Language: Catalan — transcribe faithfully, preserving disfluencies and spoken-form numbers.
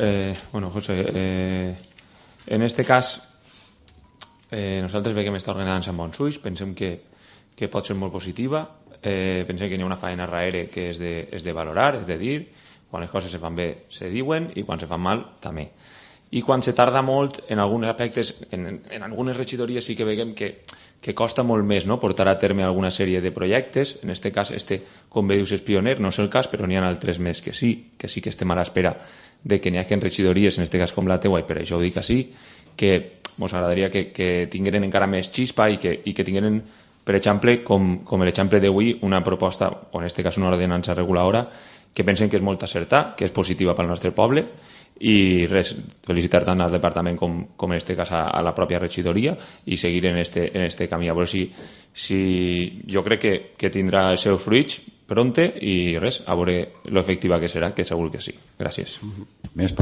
Eh, bueno, José, eh, en este cas eh, nosaltres veiem que està ordenant amb bons ulls, pensem que, que pot ser molt positiva, eh, pensem que hi ha una feina darrere que és de, és de valorar, és de dir, quan les coses se fan bé se diuen i quan se fan mal també. I quan se tarda molt en alguns aspectes, en, en algunes regidories sí que veiem que, que costa molt més, no?, portar a terme alguna sèrie de projectes. En aquest cas, este, com bé dius, és pioner, no és el cas, però n'hi ha altres més que sí, que sí que estem a l'espera de que n'hi hagi regidories, en aquest cas com la teua, i per això ho dic així, que ens agradaria que, que tingueren encara més xispa i que, i que tingueren, per exemple, com, com l'exemple d'avui, una proposta, o en aquest cas una ordenança reguladora, que pensen que és molt acertar, que és positiva pel nostre poble, i res, felicitar tant al departament com, com en aquest cas a, a la pròpia regidoria i seguir en este, en este camí. A veure si, si jo crec que, que tindrà els seus fruits pronte i res, a veure l'efectiva que serà, que segur que sí. Gràcies. Més per